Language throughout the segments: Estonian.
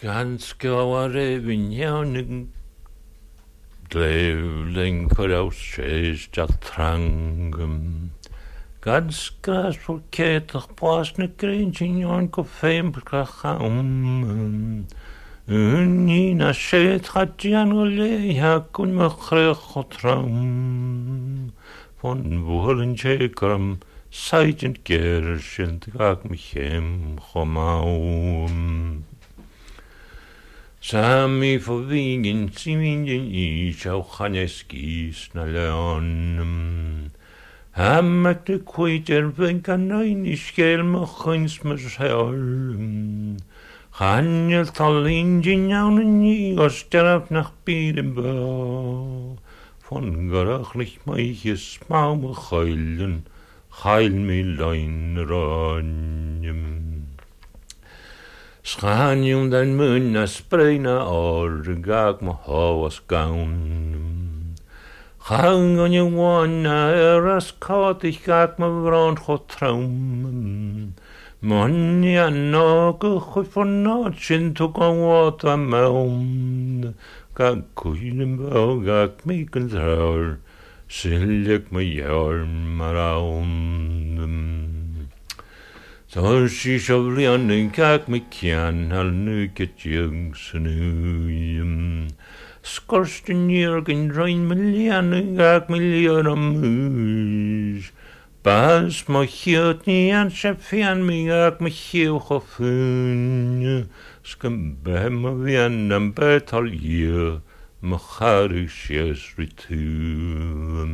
Ganske over vinjanen Gleivling kvarjás sést a trangum Ganske spolketach pásna grinjinjon ko feimbrka chaum Unina sét hadjan o leihakun mechrech o traum Von wohlen tjekram Seidjent gershent gag michem chomaum Sami forvingen simingen is au chaneskis na leon. Hammak de kwijter venkan nein is gelme guns mes helm. Hanjel tal injin jaun ni osteraf nach Biedenbau. Von gerachlich meiches maume heulen, heil mi lein ranjem. Schanium dan mun a spreina or gag ma hawas gaun. Hang on je wana eras caught ich gag ma vrond cho traum. Mon ja no go von notchen to go wat a maum. Gag kuinem bau gag mi kan traur. Sillik ma jarm araum. Toen she shovlian en kak me kjan al nu get jungsen ujem. Skorsten jurgen rein miljan en kak miljan am huis. Bas ma hiot ni an shefian me kak me hiel gefun. Skum bem vian am betal je. Ma charisjes ritum.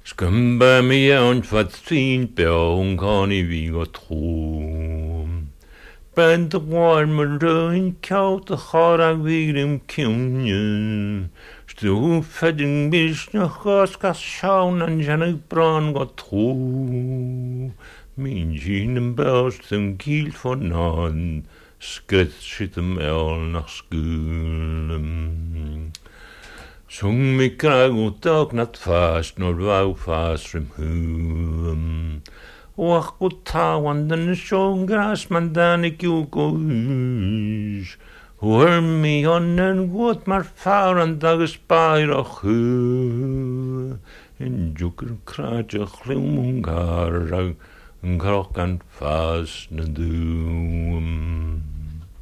Skum bij mij en wat zien beong kan ik weer troom. Ben de warme rein koud de gaar weer in kiemen. Stoef verding bis nog gas schauen en jan brand wat troom. Mijn jinen belst een kiel van aan. Skret zit hem el naar schoelen. Sung mi krag og dag natt fast når vau fast from hum. Och og tawan den sjong gras man dan ik jo goes. Hör mi onnen god mar fauran dag spyr och hu. En juker kraja chlumungar krokkan fast na dum.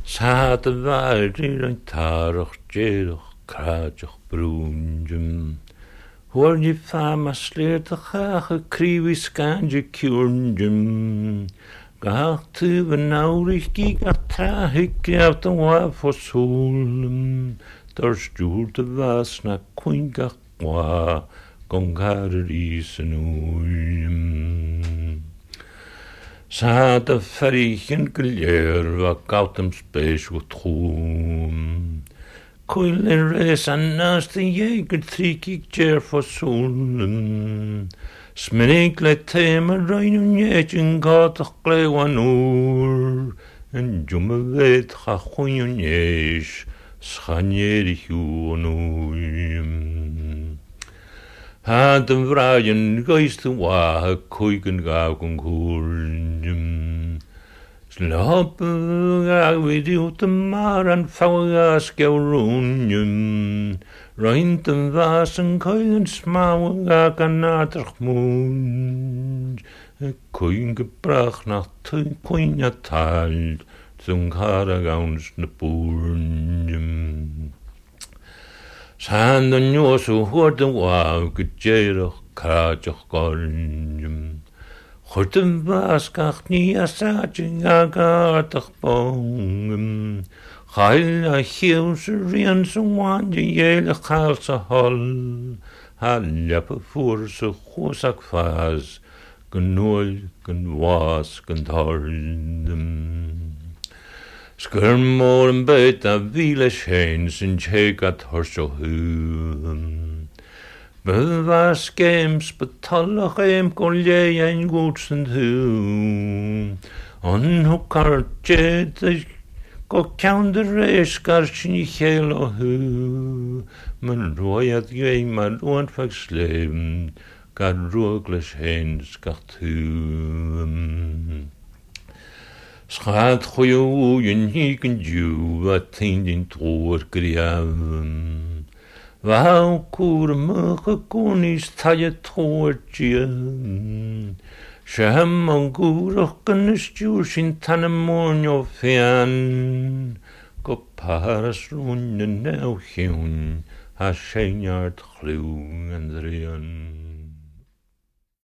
Sat varir en tarach jedoch Krajach brunjum. Hoor je fama sleert de gage kriwi skanje kjurnjum. Gach tuve naurig giga trahik av de wa for solum. Der stuurde vasna kuingach wa gongar isen uljum. Sa de ferrichen guljer wa gautem spes wat trum. Coilen res an naast en jeger trikik jer for solen. Smenikle thema rein un jetjen gatach glewan oor. En jumme weet ga goeien jes, schanjerig uon oor. Had een vraaien geiste wahe koiken gauken koelen. Slapen ga we uit de maar en faugas geurunjum. Reint en was en koeien smauwen ga kanatig moon. Koeien gebracht nach te koeien taal. Zo'n karagauns ne boeren. Sanden josu hoorden wauw gejerig krajig gornjum. Horten waskach ni asajing agatach bongum. Chail a chiels rian sa wanje jele chael sa hol. Haljappe voor sa chosak faz. Genoel, gen was, gen tordum. Skirmor en beit a vile scheins en tjegat horso huum. Bewas games betallach kolje en goedsend hu. On hukar jet go kounder reis garsin I chelo hu. Men roiad gei maar onfags leven, gar roogles hens gacht hu. Schat choyo yin hiken ju a tindin tor griaven. Vau kur mugge konis taje tortje. Shem an gurken stjursin tanemonjo fean. Go paras runnen nou hiun. A seinjart gluw en drien.